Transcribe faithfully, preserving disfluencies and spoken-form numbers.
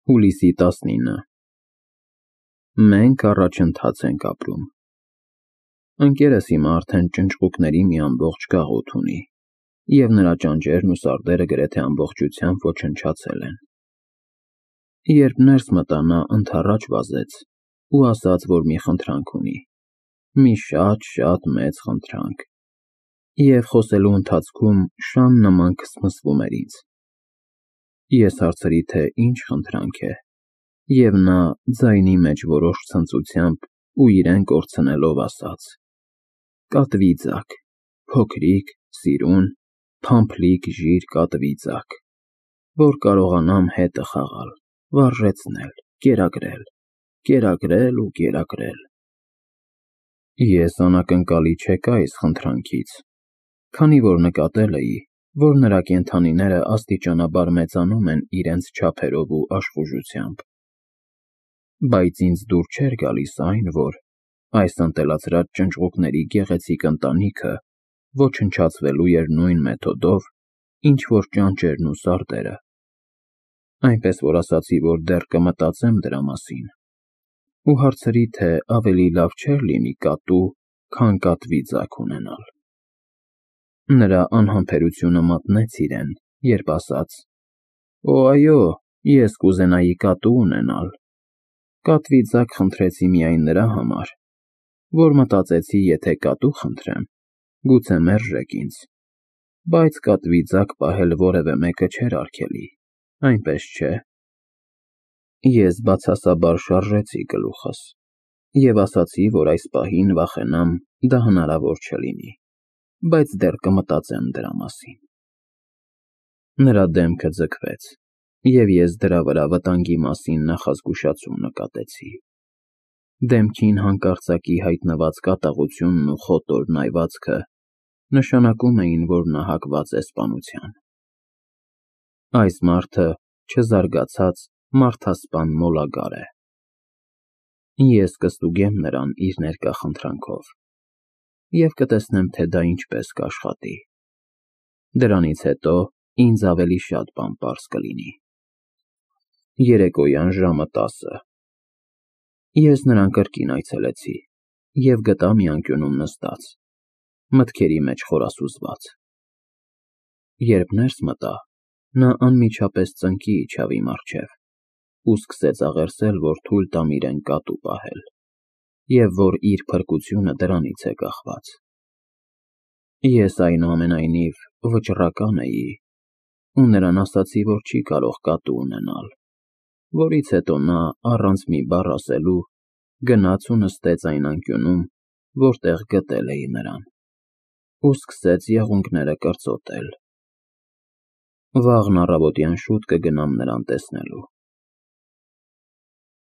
Հուլիսի տասնինը Մենք առաջընթաց ենք ապրում։ Ընկերս հիմա արդեն ճնճղուկների մի ամբողջ գաղութ ունի, և նրա ճանճերն ու սարդերը գրեթե ամբողջությամբ ոչնչացել են։ Երբ ներս մտա, նա ընդառաջ վազեց ու ասաց, որ մի խնդրանք ունի, մի շատ-շատ մեծ խնդրանք, և խոսելու ընթացքում շան նման քսմսվում էր ինձ։ Ես հարցրի, թե ինչ խնդրանք է, և նա ձայնի մեջ որոշ ցնծությամբ ու իրեն կորցնելով ասաց. «Կատվի ձագ, փոքրիկ, սիրուն, փամփլիկ ժիր կատվի ձագ, որ կարողանամ հետը խաղալ, վարժեցնել, կերակրել, կերակրել ու կերակրել»։ Ես անակնկալի չեկա այս խնդրանքից, քանի որ նկատել էի, որ նրա կենդանիները աստիճանաբար մեծանում են իրենց չափերով ու աշխուժությամբ։ Բայց ինձ դուր չէր գալիս այն, որ այս ընտելացրած ճնճղուկների գեղեցիկ ընտանիքը ոչնչացվելու էր նույն մեթոդով, ինչ որ ճանճերն ու սարդերը, այնպես որ ասացի, որ դեռ կմտածեմ դրա մասին, ու հարցրի, թե ավելի լավ չէր լինի կատու, քան կատվի ձագ ունենալ։ Նրա անհամբերությունը մատնեց իրեն, երբ ասաց. «Օ, այո, ես կուզենայի կատու ունենալ։ Կատվի ձագ խնդրեցի միայն նրա համար, որ մտածեցի, եթե կատու խնդրեմ, գուցե մերժեք ինձ, բայց կատվի ձագ պահել որևէ մեկը չէր արգելի, այնպես չէ»։ Ես բացասաբար շարժեցի գլուխս և ասացի, որ այս պահին վախենամ դա հնարավոր չլինի, բայց դեռ կմտածեմ դրա մասին։ Նրա դեմքը ձգվեց, և ես դրա վրա վտանգի մասին նախազգուշացում նկատեցի։ Դեմքին հանկարծակի հայտնված կատաղությունն ու խոտոր նայվածքը նշանակում էին, որ նա հակված է սպանության։ Այս մարդը չզարգացած մարդասպան մոլագար է։ Ես կստուգեմ նրան իր ներկա խնդրանքով և կտեսնեմ, թե դա ինչպես կաշխատի։ Դրանից հետո ինձ ավելի շատ բան պարզ կլինի։ Երեկոյան ժամը տասը Ես նրան կրկին այցելեցի և գտա մի անկյունում նստած, մտքերի մեջ խորասուզված։ Երբ ներս մտա, նա անմիջապես ծնկի իջավ իմ առջև ու սկսեց աղերսել, որ թույլ տամ իրեն կատու պահել, և որ իր փրկությունը դրանից է կախված։ Ես, այնուամենայնիվ, վճռական էի ու նրան ասացի, որ չի կարող կատու ունենալ, որից հետո նա, առանց մի բառ ասելու, գնաց ու նստեց այն անկյունում, որտեղ գտել էի նրան, ու սկսեց եղունգները կրծոտել։ Վաղն առավոտյան շուտ կգնամ նրան տեսնելու։